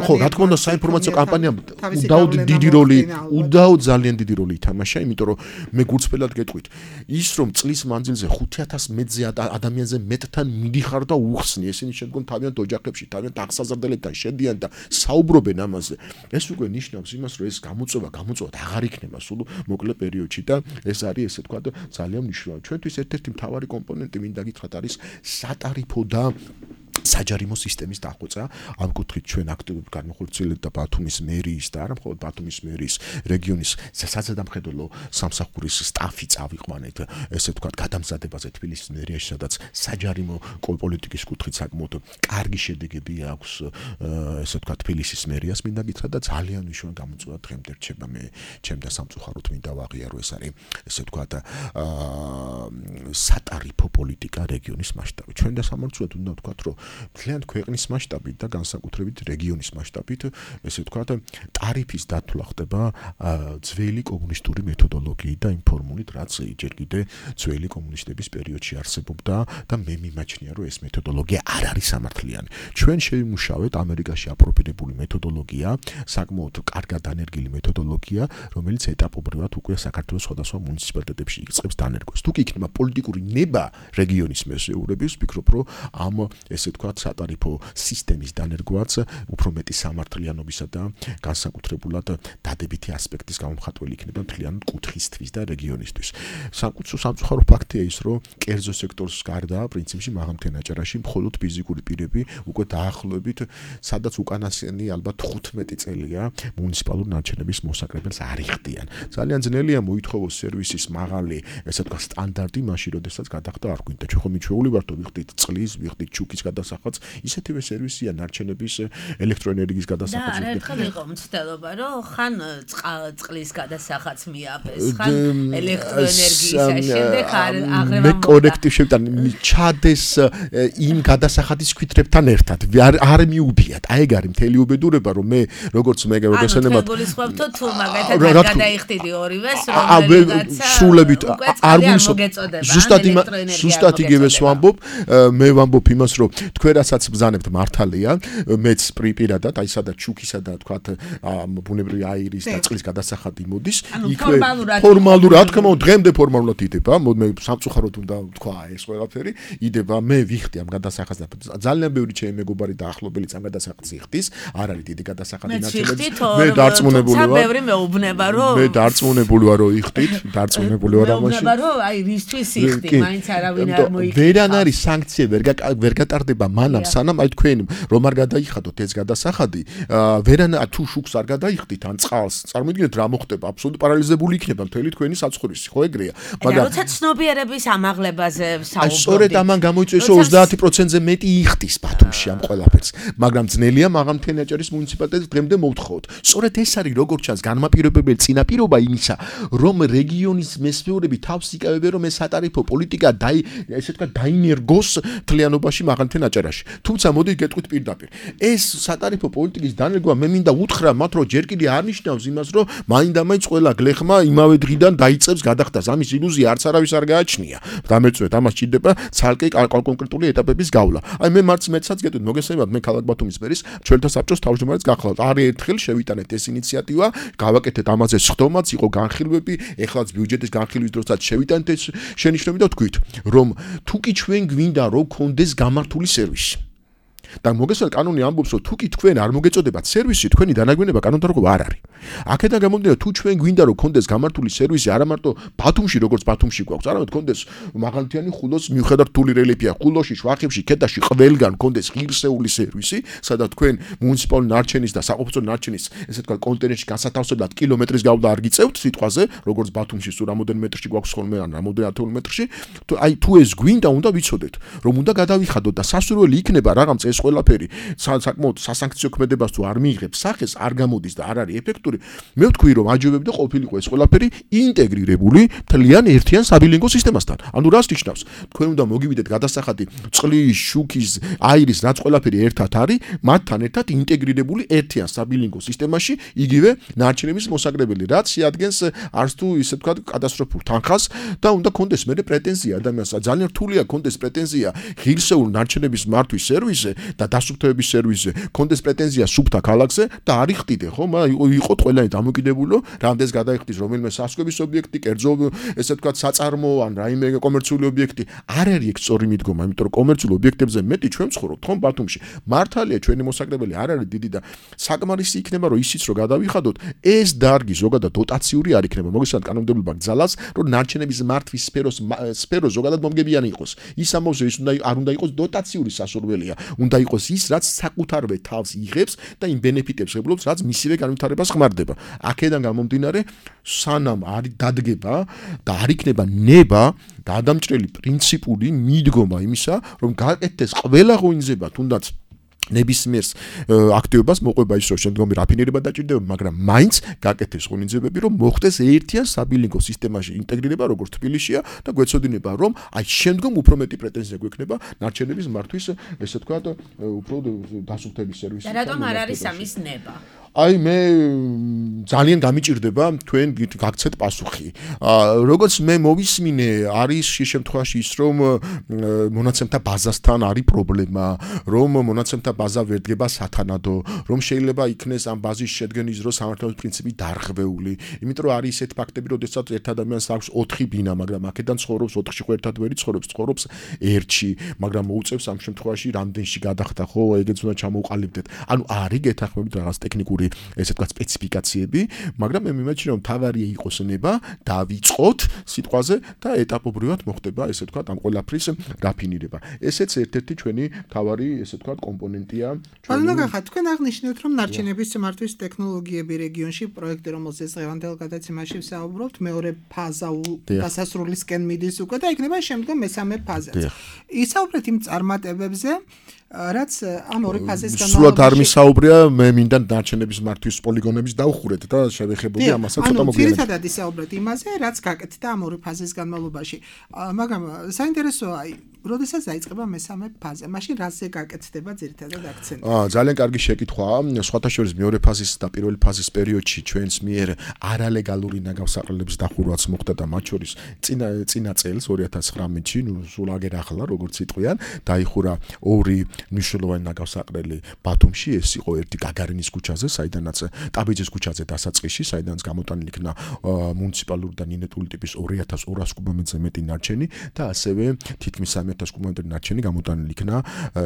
ხო, რა თქმა უნდა, საინფორმაციო კამპანიამ უდაოდ დიდი როლი, უდაოდ ძალიან დიდი როლი ითამაშა, იმიტომ რომ მე გულწრფელად გეტყვით, ის რომ წლის მანძილზე ხუთი ათასი მეტზე ადამიანზე მეტთან მიდიხარ და უხსნი, ესენი შემდგომ თავიანთ ოჯახებში, თავიანთ აღსაზრდელებთან შედიან და საუბრობენ ამაზე. ეს უკვე ნიშნავს იმას, რომ ეს გამოწვევა, გამოწვევა აღარ იქნება სულ მოკლე პერიოდში და ეს არის ესე ვთქვათ ძალიან მნიშვნელოვანი. ჩვენთვის ერთ-ერთი მთავარი კომპონენტი მინდა გითხრათ არის სატარიფო და საჯარიმო სისტემის დახვეწა. ამ კუთხით ჩვენ აქტიურად განმახორციელებთ და ბათუმის მერიის და არა მხოლოდ ბათუმის მერიის რეგიონის საზედამხედველო სამსახურის სტაფი წავიყვანეთ, ესე ვთქვათ, გადამზადებაზე თბილისის მერიაში, სადაც საჯარიმო პოლიტიკის კუთხით საკმაოდ კარგი შედეგები აქვს, ესე ვთქვათ, თბილისის მერიას მინდა გითხრათ და ძალიან მნიშვნელოვანი გამოწვევა დღემდე რჩება. მე ჩემ და სამწუხაროდ მინდა ვაღიარო, ეს არის ესე ვთქვათ, სატარიფო პოლიტიკა რეგიონის მასშტაბით. ჩვენ და სამართლად უნდა ვთქვათ, რომ მთლიან ქვეყნის მასშტაბით და განსაკუთრებით რეგიონის მასშტაბით, ესე ვთქვათ, ტარიფის დათვლა ხდება ძველი კომუნისტური მეთოდოლოგიით და იმ ფორმულით, რაც ჯერ კიდე ძველი კომუნისტების პერიოდში არსებობდა და მე მიმაჩნია, რომ ეს მეთოდოლოგია არ არის სამართლიანი. ჩვენ შევიმუშავეთ ამერიკაში აპროფილებული მეთოდოლოგია, საკმაოდ კარგად დანერგილი მეთოდოლოგია, რომელიც ეტაპობრივად უკვე საქართველოს სხვადასხვა მუნიციპალიტეტებში იწყებს დანერგვას. თუ კი იქნება პოლიტიკური ნება რეგიონის მესეურების, ვფიქრობ, რომ ამ ესე ვთქვათ, სატარიფო სისტემის დანერგვაც უფრო მეტი სამართლიანობისა და განსაკუთრებულად დადებითი ასპექტის გამომხატველი იქნება მთლიან კუთხისთვის და რეგიონისთვის. სამწუხარო ფაქტია ის, რომ კერძო სექტორს გარდა პრინციპში მაღალმთიან აჭარაში მხოლოდ ფიზიკური პირები უკვე დაახლოებით, სადაც უკანასკნელი ალბათ თხუთმეტი წელია მუნიციპალურ ნარჩენების მოსაკრებელს არ იხდიან. ძალიან ძნელია მოითხოვოს სერვისის მაღალი, ესე ვთქვათ, სტანდარტი მაშინ, როდესაც გადახდა არ გვინდა. ჩვენ ხომ მიჩვეული ვართ, ვიხდით წყლის, ვიხდით ჩუქის გადასახადს, ისეთივე სერვისია ნარჩენების ელექტროენერგიის გადასახადს. და ერთხელ იყო მცდელობა, რომ ხან წყლის გადასახადს მიაბეს, ხან ელექტროენერგიის შემდეგ აღრევა. მე კორექტივ შევიტან, ჩადეს იმ გადასახადის კვითრებთან ერთად. არ მიუბიათ. აი ეგ არის მთელი უბედურება, რომ მე როგორც მე გასენებად. ანუ გულისხმობთ თუ მაგათაც გადაიხდიდი ორივეს, რომელიღაცა სრულებით არ მოგეწოდება. ზუსტად ზუსტად იგივეს ვამბობ, მე ვამბობ იმას, რომ თქვენ რასაც ბრძანებთ მართალია, მეც პირადად, აი სადაც შუქისა და თქვათ ბუნებრივი აირის და წყლის გადასახადი მოდის, იქვე ფორმალურად, რა თქმა უნდა, დღემდე ფორმალურად იდება, მე სამწუხაროდ უნდა თქვა ეს ყველაფერი, იდება, მე ვიხდი ამ გადასახადს და ძალიან ბევრი ჩემი მეგობარი და ახლობელიც ამ გადასახადს იხდის, არ არის დიდი გადასახადი ნაჩვენები. მე დარწმუნებული ვარ. ბევრი მეუბნება, რომ მე დარწმუნებული ვარ, რომ იხდით, დარწმუნებული ვარ ამაში. მეუბნება, რომ აი რისთვის იხდი, მაინც არავინ არ მოიხდა. ვერან არის სანქცია, ვერ ვერ გატარდება მანამ, სანამ აი თქვენ რომ არ გადაიხადოთ ეს გადასახადი, ვერან თუ შუქს არ გადაიხდით ან წყალს, წარმოიდგინეთ რა მოხდება, აბსოლუტურად პარალიზებული იქნება მთელი თქვენი საცხოვრისი, ხო ეგრეა. მაგრამ როცა ცნობიერების ამაღლებაზე საუბრობთ. აი სწორედ ამან გამოიწვიეს, რომ ოცდაათი პროცენტზე მეტი იხდის ბათუმში ამ ყველაფერს. მაგრამ ძნელია მაღალმთენაჭარის მუნიციპალიტეტს დღემდე მოვთხოვოთ. სწორედ ეს არის როგორც ჩანს განმაპირობებელი წინაპირობა იმისა, რომ რეგიონის მესვეურები თავს იკავებენ, რომ ეს სატარიფო პოლიტიკა დაი ესე თქვა დაინერგოს თლიანობაში მაღალმთენაჭარაში. თუმცა მოდით გეტყვით პირდაპირ. ეს სატარიფო პოლიტიკის დანერგვა მე მინდა უთხრა მათ, რომ ჯერ კიდე არ ნიშნავს იმას, რომ მაინდა-მაინც ყველა გლეხმა იმავე დღიდან დაიწყებს გადახდას. ამის ილუზია არც არავის არ გააჩნია. დამეწვეთ, ამას ჭირდება ცალკე კონკრეტული ეტაპების გავლა. აი მე მარც მეცაც გეტყვით, მოგესალმებით, მე ქალაქ ბათუმის მერის ჩვენთა საბჭოს თავმჯდომარეც გახლავთ. არის ერთხელ შევიტანეთ ეს ინიციატივა, გავაკეთეთ ამაზე სხდომაც, იყო განხილვები, ეხლაც ბიუჯეტის განხილვის დროსაც შევიტანეთ ეს შენიშვნები და თქვით, რომ თუ კი ჩვენ გვინდა რომ გქონდეს გამართული სერვისი. და მოგესალმებით, კანონი ამბობს, რომ თუ კი თქვენ არ მოგეწოდებათ სერვისი, თქვენი დანაგვიანება კანონდარგობა არ არის. აქედან გამომდინარე, თუ ჩვენ გვინდა რომ გქონდეს გამართული სერვისი, არა მარტო ბათუმში, როგორც ბათუმში გვაქვს, არამედ გქონდეს მაღალმთიანი ხულოს მიუხედავად რთული რელიეფია, ხულოში, შვახებში, ქედაში ყველგან გქონდეს ღირსეული სერვისი, სადაც თქვენ მუნიციპალური ნარჩენის და საყოფაცო ნარჩენის, ესე თქვა, კონტეინერში განსათავსებლად კილომეტრის გავლა არ გიწევთ სიტყვაზე, როგორც ბათუმში სულ რამოდენიმე მეტრში გვაქვს ხოლმე, ან რამოდენიმე ათეული მეტრში, აი თუ ეს გვინდა, უნდა ვიცოდეთ, რომ უნდა გადავიხადოთ და სასურველი იქნება რაღაც ეს ყველაფერი საკმაოდ სასანქციო ქმედებას თუ არ მიიღებს სახეს, არ გამოდის და არ არის ეფექტური. მე ვთქვი, რომ აჯობებდი და ყოფილიყო ეს ყველაფერი ინტეგრირებული მთლიან ერთიან საბილინგო სისტემასთან. ანუ რას ნიშნავს? თქვენ უნდა მოგივიდეთ გადასახადი წყლის, შუქის, აირის, რაც ყველაფერი ერთად არის, მათთან ერთად ინტეგრირებული ერთიან საბილინგო სისტემაში, იგივე ნარჩენების მოსაგრებელი, რაც შეადგენს არც თუ ისე თქვა კატასტროფულ თანხას და უნდა კონდეს მე პრეტენზია ადამიანს. ძალიან რთულია კონდეს პრეტენზია ღირსეულ ნარჩენების მართვის სერვისზე და დასუფთავების სერვისზე, კონდეს პრეტენზია სუფთა ქალაქზე და არ იხდიდე, ხო? იყო ყველანი დამოკიდებულო, რამდენს გადაიხდის რომელიმე სასწავლების ობიექტი, კერძო ესე თქვა საწარმო ან რაიმე კომერციული ობიექტი. არ არის ეგ სწორი მიდგომა, იმიტომ რომ კომერციული ობიექტებზე მეტი ჩვენ ვცხოვრობთ, ხო, ბათუმში. მართალია ჩვენი მოსაგრებელი არ არის დიდი და საკმარისი იქნება, რომ ისიც რომ გადავიხადოთ, ეს დარგი ზოგადად დოტაციური არ იქნება. მოგესალმებით, კანონმდებლობა გძალას, რომ ნარჩენების მართვის სფეროს სფერო ზოგადად მომგებიანი იყოს. ის ამბობს, ის უნდა არ უნდა იყოს დოტაციური სასურველია. უნდა იყოს ის, რაც საკუთარვე თავს იღებს და იმ ბენეფიტებს ებლობს, რაც მისივე განვითარებას ხმარდება. აქედან გამომდინარე, სანამ არის დადგება და არ იქნება ნება და ადამიანჭრელი პრინციპული მიდგომა იმისა, რომ გააკეთდეს ყველა ღონისძიება, თუნდაც ნებისმიერს აქტივობას მოყვება ის, რომ შემდგომი რაფინირება დაჭირდება, მაგრამ მაინც გააკეთეს ღონისძიებები, რომ მოხდეს ერთიან საბილინგო სისტემაში ინტეგრირება, როგორც თბილისშია და გვეცოდინება, რომ აი შემდგომ უფრო მეტი პრეტენზია გვექნება ნარჩენების მართვის, ესე ვთქვათ, უფრო დასუფთების სერვისი. და რატომ არ არის ამის ნება? აი მე ძალიან გამიჭირდება თქვენ გაგცეთ პასუხი. როგორც მე მოვისმინე, არის შემთხვევაში ის, რომ მონაცემთა ბაზასთან არის პრობლემა, რომ მონაცემთა ბაზა ვერ დგება სათანადო, რომ შეიძლება იქნეს ამ ბაზის შედგენის დროს სამართლობის პრინციპი დარღვეული. იმიტომ რომ არის ესეთ ფაქტები, როდესაც ერთ ადამიანს აქვს ოთხი ბინა, მაგრამ აქედან ცხოვრობს ოთხში ხო ერთად ვერ ცხოვრობს, ცხოვრობს ერთში, მაგრამ მოუწევს ამ შემთხვევაში რამდენში გადახდა, ხო, ეგეც უნდა ჩამოუყალიბდეთ. ანუ არის გეთანხმებით რაღაც ტექნიკური ესე თქვა სპეციფიკაციები, მაგრამ მე მიმაჩნია რომ თავარია იყოს ნება, დავიწყოთ სიტყვაზე და ეტაპობრივად მოხდება ესე თქვა ამ ყველაფრის რაფინირება. ესეც ერთ-ერთი ჩვენი თავარი ესე თქვა კომპონენტია. ანუ გახა თქვენ აღნიშნეთ რომ ნარჩენების მართვის ტექნოლოგიები რეგიონში პროექტი რომელზეც დღევანდელ გადაცემაში ვსაუბრობთ, მეორე ფაზა დასასრულისკენ მიდის უკვე და იქნება შემდგომ მესამე ფაზაც. ისაუბრეთ იმ წარმატებებზე, რაც ამ ორი ფაზის განმავლობაში სულად არ მისაუბრია, მე მინდა ნარჩენები ნარჩენების მართვის პოლიგონების დაუხურეთ და შევეხებოდი ამასაც ცოტა მოგვიანებით. ანუ ძირითადად ისაუბრეთ იმაზე, რაც გაკეთდა ამ ორი ფაზის განმავლობაში. მაგრამ საინტერესოა, როდესაც დაიწყება მესამე ფაზა, მაშინ რაზე გაკეთდება ძირითადად აქცენტი? აა ძალიან კარგი შეკითხვაა. სხვათა შორის მეორე ფაზის და პირველი ფაზის პერიოდში ჩვენს მიერ არალეგალური ნაგავსაყრელების დახურვაც მოხდა და მათ შორის წინა წინა წელს ორი ათას ცხრამეტში, ნუ სულ აგერ ახლა როგორც იტყვიან, დაიხურა ორი მნიშვნელოვანი ნაგავსაყრელი ბათუმში, ეს იყო ერთი გაგარინის ქუჩაზე, საიდანაც ტაბიძის ქუჩაზე დასაწყისში, საიდანაც გამოტანილი იქნა მუნიციპალური და ნინეტული ტიპის ორი ათას ორასი კუბომეტრზე მეტი ნარჩენი და ასევე თითქმის სამი ათას კუბომეტრი ნარჩენი გამოტანილი იქნა,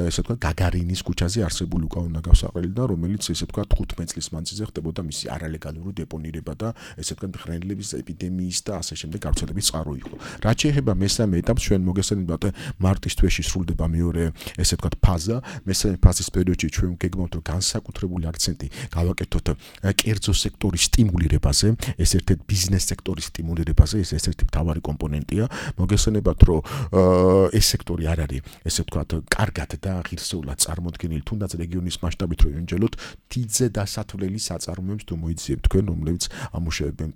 ესე ვთქვათ, გაგარინის ქუჩაზე არსებული უკავო ნაგავსაყრელი და რომელიც ესე ვთქვათ თხუთმეტ წლის მანძილზე ხდებოდა მისი არალეგალური დეპონირება და ესე ვთქვათ მხრენლების ეპიდემიის და ასე შემდეგ გავრცელების წყარო იყო. რაც შეეხება მესამე ეტაპს, ჩვენ მოგესალმებათ მარტის თვეში სრულდება მეორე ესე ვთქვათ ფაზა. მესამე ფაზის პერიოდში ჩვენ გეგმავთ რომ განსაკუთრებული აქცენტი გავაკეთოთ კერძო სექტორის სტიმულირებაზე, ეს ერთ-ერთი ბიზნეს სექტორის სტიმულირებაზე, ეს ერთ-ერთი მთავარი კომპონენტია. მოგესალმებათ რომ ეს სექტორი არ არის ესე ვთქვათ კარგად და ღირსეულად წარმოდგენილი, თუნდაც რეგიონის მასშტაბით რო ვიმჯელოთ, დიდზე დასათვლელი საწარმოებს თუ მოიძიებთ თქვენ, რომლებიც ამუშავებენ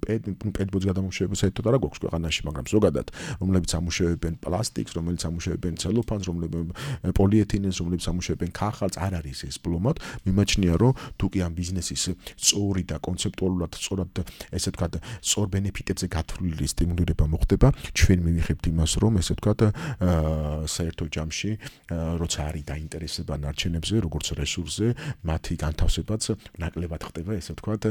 პედბოძ გადამამუშავებას საერთოდ არ გვაქვს ქვეყანაში, მაგრამ ზოგადად, რომლებიც ამუშავებენ პლასტიკს, რომლებიც ამუშავებენ ცელოფანს, რომლებიც პოლიეთილენს, რომლებიც ამუშავებენ ქაღალდს, არ არის ეს პლომად. მიმაჩნია რომ თუ კი ამ ბიზნესის სწორი და კონცეპტუალურად სწორად ესე ვთქვათ სწორ ბენეფიტებზე გათვლილი სტიმულირება მოხდება, ჩვენ მივიღებთ იმას რომ ესე ვთქვათ საერთო ჯამში როცა არის დაინტერესება ნარჩენებზე, როგორც რესურსზე, მათი განთავსებაც ნაკლებად ხდება, ესე ვთქვათ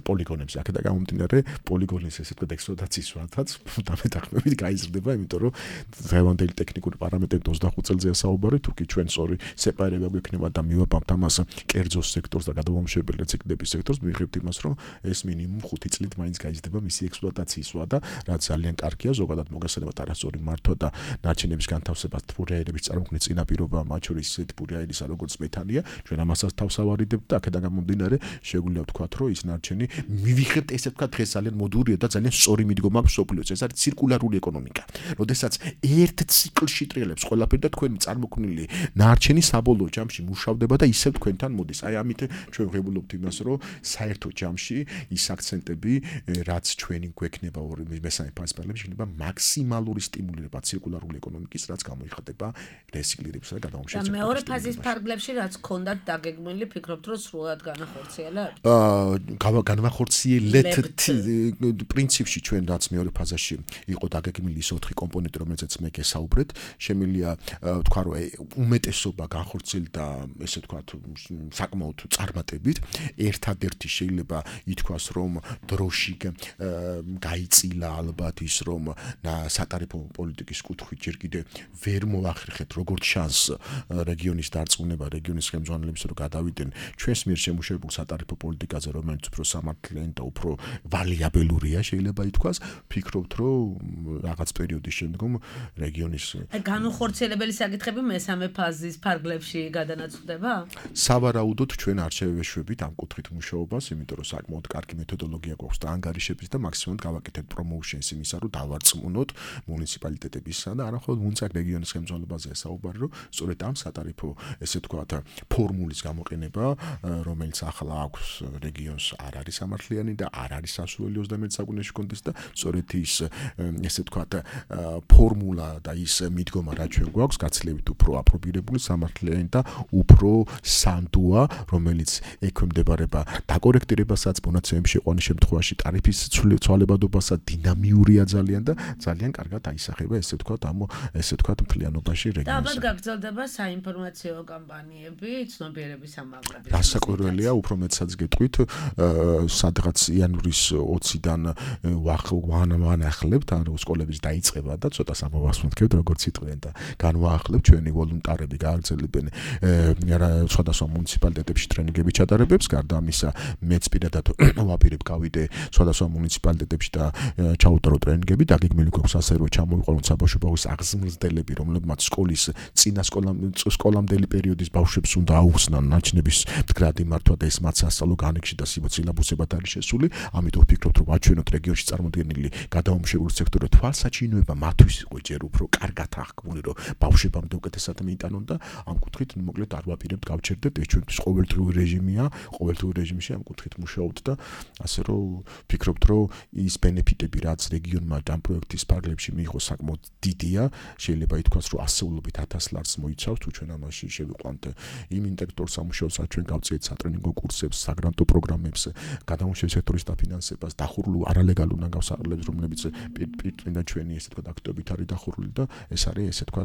პოლიგონებზე. აქედან გამომდინარე, პოლიგონის ესე ვთქვათ ექსპლუატაციის ვადაც დამეთანხმებით გაიზრდება, იმიტომ რომ დღევანდელი ტექნიკური პარამეტრებით ოცდახუთ წელზეა საუბარი, თუ კი ჩვენ სწორი სეპარება გვექნება და მივაბამთ ამას კერძო სექტორს და გადამამუშავებელი რეციკლების სექტორს, მივიღებთ იმას, რომ ეს მინიმუმ ხუთი წლით მაინც გაიზრდება მისი ექსპლუატაციის ვადა, რაც ძალიან კარგია, ზოგადად მოგესალმებათ არასწორი მართვა და ნარჩენების განთავსებას თბურაერების წარმოქმნის წინაპირობა, მათ შორის ისეთი თბურაერისა, როგორც მეთანია, ჩვენ ამასაც თავს ავარიდებთ და აქედან გამომდინარე, შეგვიძლია ვთქვათ, რომ ის ნარჩენი მივიღებთ ესე ვთქვათ, დღეს ძალიან მოდურია და ძალიან სწორი მიდგომა აქვს სოფლიოს. ეს არის ცირკულარული ეკონომიკა. როდესაც ერთ ციკლში ტრიალებს ყველაფერი და თქვენი წარმოქმნილი ნარჩენი საბოლოო ჯამში მუშავდება და ისევ თქვენთან მოდის. აი ამით ჩვენ ვღებულობთ იმას, რომ საერთო ჯამში ის აქცენტები, რაც ჩვენი გვექნება მესამე ფაზის პარალელში, იქნება მაქსიმალური სტიმულირება ცირკულარული ეკონომიკის, რაც გამოიხატება რესიკლირებისა და გადამამუშავების. და მეორე ფაზის ფარგლებში რაც ქონდათ დაგეგმილი, ფიქრობთ, რომ სრულად განახორციელებთ? აა განახორციელებთ პრინციპში ჩვენ რაც მეორე ფაზაში იყო დაგეგმილი ის ოთხი კომპონენტი, რომელზეც მე გესაუბრეთ, შემიძლია ვთქვა, რომ უმეტესობა განხორციელდა ესე ვთქვათ საკმაოდ წარმატებით. ერთადერთი შეიძლება ითქვას, რომ დროში გაიწილა ალბათ ის, რომ სატარიფო პოლიტიკის კუთხით ჯერ კიდე ვერ მოახერხეთ როგორც შანს რეგიონის დარწმუნება, რეგიონის ხელმძღვანელებს რომ გადავიდნენ ჩვენს მიერ შემუშავებულ სატარიფო პოლიტიკაზე, რომელიც უფრო სამართლიანი და უფრო ვალიაბელურია, შეიძლება ითქვას. ფიქრობთ, რომ რაღაც პერიოდის შემდგომ რეგიონის განუხორციელებელი საკითხები მესამე ფაზის ფარგლებში გადანაწყვეტება? სავარაუდოდ ჩვენ არ შევეშვებით ამ კუთხით მუშაობას, იმიტომ რომ საკმაოდ კარგი მეთოდოლოგია გვაქვს და ანგარიშების და მაქსიმუმად გავაკეთებთ პრომოუშენს იმისა, რომ დავარწმუნოთ მუნიციპალიტეტებისა და არამხოლოდ მუნიციპალ რეგიონის ხელმძღვანელობაზე საუბარი, რომ სწორედ ამ სატარიფო ესე ვთქვათ ფორმულის გამოყენება, რომელიც ახლა აქვს რეგიონს არ არის სამართლიანი და არ არის სასურველი ოცდამეტ საუკუნეში კონდეს და სწორედ ის ესე ვთქვათ ფორმულა და ის მიდგომა რაც ჩვენ გვაქვს გაცილებით უფრო აპრობირებული, სამართლიანი და უფრო სანდოა, რომელიც ექვემდებარება დაკორექტირებასაც, მონაცემების შეყვანის შემთხვევაში ტარიფის ცვალებადობასაც, დინამიურია ძალიან და ძალიან კარგად აისახება ესე ვთქვათ ამ ესე ვთქვათ მთლიანობაში რეგიონს. და ალბათ გაგრძელდება საინფორმაციო კამპანიები, ცნობიერების ამაღლების. დასაკვირველია, უფრო მეტსაც გეტყვით, სადღაც იანვრის ოციდან ვანახლებთ, ანუ სკოლების დაიწყება და ცოტა სამოვასმოთქებთ, როგორც იტყვიან და განვაახლებთ ჩვენი ვოლუნტარები გააგრძელებენ სხვადასხვა მუნიციპალიტეტებში ტრენინგები ჩატარებებს, გარდა ამისა მეც პირადად ვაპირებ გავიდე სხვადასხვა მუნიციპალიტეტებში და ჩაუტარო ტრენინგები, დაგეგმილი გვაქვს ასე რომ ჩამოვიყვანოთ საბავშვო ბაღის აღზრდელები, რომლებმაც სკოლის წინა სკოლამდელი პერიოდის ბავშვებს უნდა აუხსნან ნაჩნების მდგრადი მართვა და ეს მათ სასწავლო განექში და სიბოცილაბუსებად არის შესული. ამიტომ ვფიქრობთ, რომ აჩვენოთ რეგიონში წარმოდგენილი გადამამუშავებელი სექტორი თვალსაჩინოება მათთვის იყო ჯერ უფრო კარგად აღქმული, რომ ბავშვებამდე უკეთესად მიიტანონ და ამ კუთხით მოკლედ არ ვაპირებთ გავჩერდეთ, ეს ჩვენთვის ყოველდღიური რეჟიმია, ყოველდღიური რეჟიმში ამ კუთხით მუშაობთ და ასე რომ ფიქრობთ, რომ ის ბენეფიტები, რაც რეგიონმა ამ პროექტის ფარგლებში მიიღო, საკმაოდ დიდია. შეიძლება ითქვას, რომ ასეულობით ათას ლარს მოიცავს, თუ ჩვენ ამაში შევიყვანთ იმ ინტელექტუალურ სამუშაოს, რაც ჩვენ გავწიეთ სატრენინგო კურსებს, საგრანტო პროგრამებს, გადამუშავების სექტორის დაფინანსებას, დახურულ არალეგალურ ნაგავსარებლებს, რომლებიც პირდაპირ ჩვენი ესე თქვა აქტივობით არის დახურული და ეს არის ესე თქვა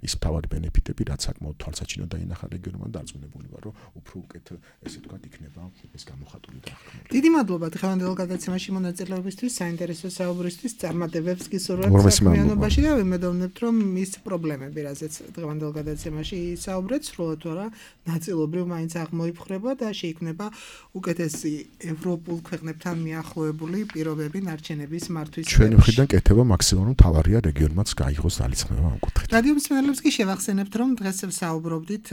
ის მთავარი ბენეფიტები, რაც საკმაოდ თვალსაჩინო დაინახა რეგიონმა და დარწმუნებული ვარ, რომ უფრო უკეთ ესე თქვა იქნება ეს გამოხატული და აღქმული. დიდი მადლობა დღევანდელ გადაცემაში მონაწილეობისთვის, საინტერესო საუბრისთვის, წარმატებებს გისურვებთ საქმიანობაში და ვიმედოვნებთ, რომ ის პრობლემები, რაზეც დღევანდელ გადაცემაში საუბრეთ, სრულად არა, ნაწილობრივ მაინც აღმოიფხვრება და შეიქმნება უკეთესი ევროპულ ქვეყნებთან მიახლოებული პირობები ნარჩენების მართვის. ჩვენი მხრიდან კეთება მაქსიმალურად თავარია რეგიონმაც გაიღოს ძალისხმევა ამ კუთხით. რადიო მსმენელებს კი შევახსენებთ, რომ დღეს საუბრობდით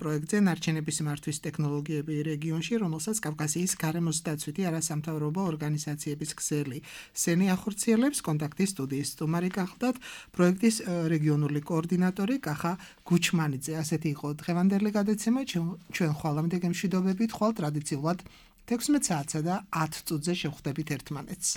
პროექტზე ნარჩენების მართვის ტექნოლოგიები რეგიონში, რომელსაც კავკასიის გარემოს დაცვითი არასამთავრობო ორგანიზაციების ქსელი სენი ახორციელებს. კონტაქტის სტუდიის სტუმარი გახლდათ პროექტის რეგიონული კოორდინატორი კახა გუჩმანიძე. ასეთი იყო დღევანდელი გადაცემა. ჩვენ ხვალამდე გემშვიდობებით, ხვალ ტრადიციულად თექვსმეტ საათსა და ათ წუთზე შევხვდებით ერთმანეთს.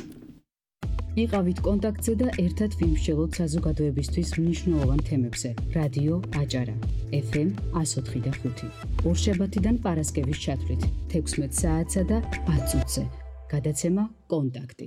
იყავით კონტაქტზე და ერთად ვიმსჯელოთ საზოგადოებისთვის მნიშვნელოვან თემებზე. რადიო აჭარა ეფ ემ εκατო ოთხი და ხუთი. ორშაბათიდან პარასკევის ჩათვლით თექვსმეტ საათსა და ათ წუთზე. გადაცემა კონტაქტი.